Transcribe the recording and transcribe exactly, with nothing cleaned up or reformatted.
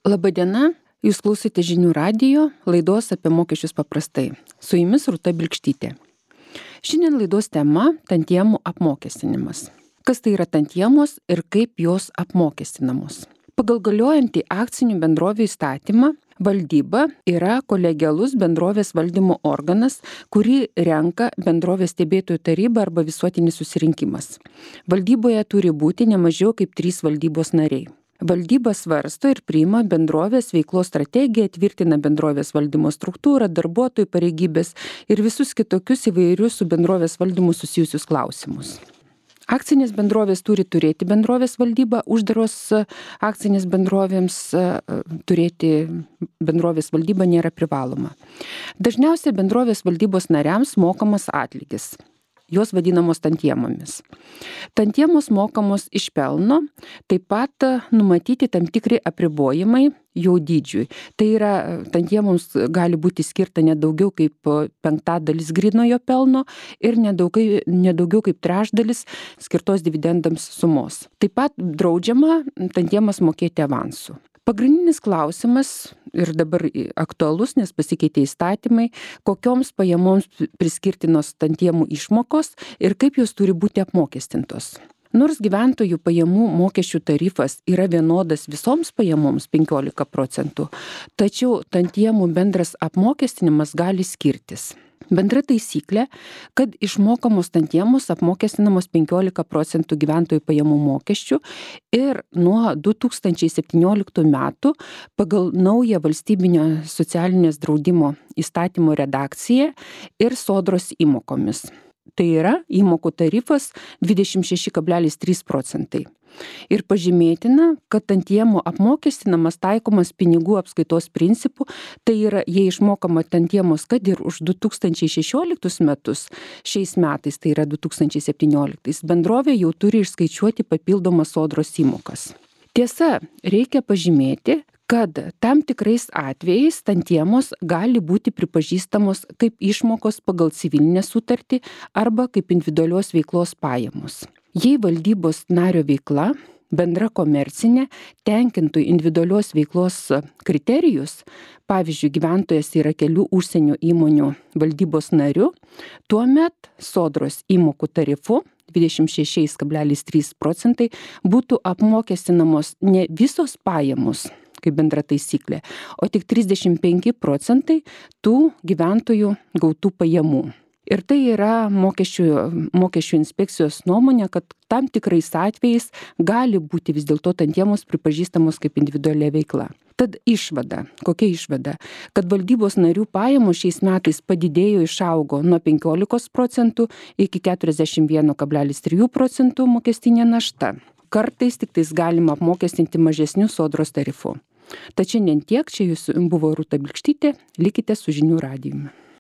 Labadiena, jūs klausite žinių radijo laidos apie mokesčius paprastai. Su jumis Rūta Bilkštytė. Šiandien laidos tema – tantiemų apmokestinimas. Kas tai yra tantiemos ir kaip jos apmokestinamos? Pagal galiojantį akcinių bendrovių įstatymą, valdyba yra kolegialus bendrovės valdymo organas, kurį renka bendrovės stebėtojų taryba arba visuotinis susirinkimas. Valdyboje turi būti ne mažiau kaip trys valdybos nariai. Valdyba svarsto ir priima bendrovės veiklos strategiją, tvirtina bendrovės valdymo struktūrą, darbuotojų pareigybės ir visus kitokius įvairius su bendrovės valdymu susijusius klausimus. Akcinės bendrovės turi turėti bendrovės valdybą, uždaros akcinės bendrovėms turėti bendrovės valdybą nėra privaloma. Dažniausiai bendrovės valdybos nariams mokamas atlygis. Jos vadinamos tantiemomis. Tantiemos mokamos iš pelno, taip pat numatyti tam tikri apribojimai jų dydžiui. Tai yra, tantiemoms gali būti skirta nedaugiau kaip penktadalis grynojo pelno ir nedaugiau, nedaugiau kaip trečdalis skirtos dividendams sumos. Taip pat draudžiama tantiemas mokėti avansu. Pagrindinis klausimas ir dabar aktualus, nes pasikeitė įstatymai, kokioms pajamoms priskirtinos tantiemų išmokos ir kaip jos turi būti apmokestintos. Nors gyventojų pajamų mokesčių tarifas yra vienodas visoms pajamoms penkiolika procentų, tačiau tantiemų bendras apmokestinimas gali skirtis. Bendra taisyklė, kad išmokamos tantiemos apmokestinamos penkiolika procentų gyventojų pajamų mokesčių ir nuo du tūkstančiai septynioliktų metų pagal naują valstybinio socialinės draudimo įstatymo redakciją ir sodros įmokomis. Tai yra įmokų tarifas dvidešimt šeši kablelis trys procentai. Ir pažymėtina, kad tantiemų apmokestinamas taikomas pinigų apskaitos principu, tai yra, jei išmokama tantiemos, kad ir už du tūkstančiai šešioliktus metus, šiais metais, tai yra du tūkstančiai septynioliktais, bendrovė jau turi išskaičiuoti papildomas sodros įmokas. Tiesa, reikia pažymėti, kad tam tikrais atvejais tantiemos gali būti pripažįstamos kaip išmokos pagal civilinę sutartį arba kaip individualios veiklos pajamos. Jei valdybos nario veikla, bendra komercinė, tenkintų individualios veiklos kriterijus, pavyzdžiui, gyventojas yra kelių užsienio įmonių valdybos nariu, tuomet sodros įmokų tarifu dvidešimt šeši kablelis trys procentai būtų apmokestinamos ne visos pajamos, kaip bendra taisyklė, o tik trisdešimt penki procentai tų gyventojų gautų pajamų. Ir tai yra mokesčių, mokesčių inspekcijos nuomonė, kad tam tikrais atvejais gali būti vis dėlto tantiemos pripažįstamos kaip individualia veikla. Tad išvada, kokia išvada? Kad valdybos narių pajamos šiais metais padidėjo, išaugo nuo penkiolikos procentų iki keturiasdešimt vienas kablelis trys procentų mokestinė našta. Kartais tik tais galima apmokestinti mažesnių sodros tarifų. Tačiau šiandien tiek, čia jūs buvo Rūta Bilkštytė, likite su žinių radijumi.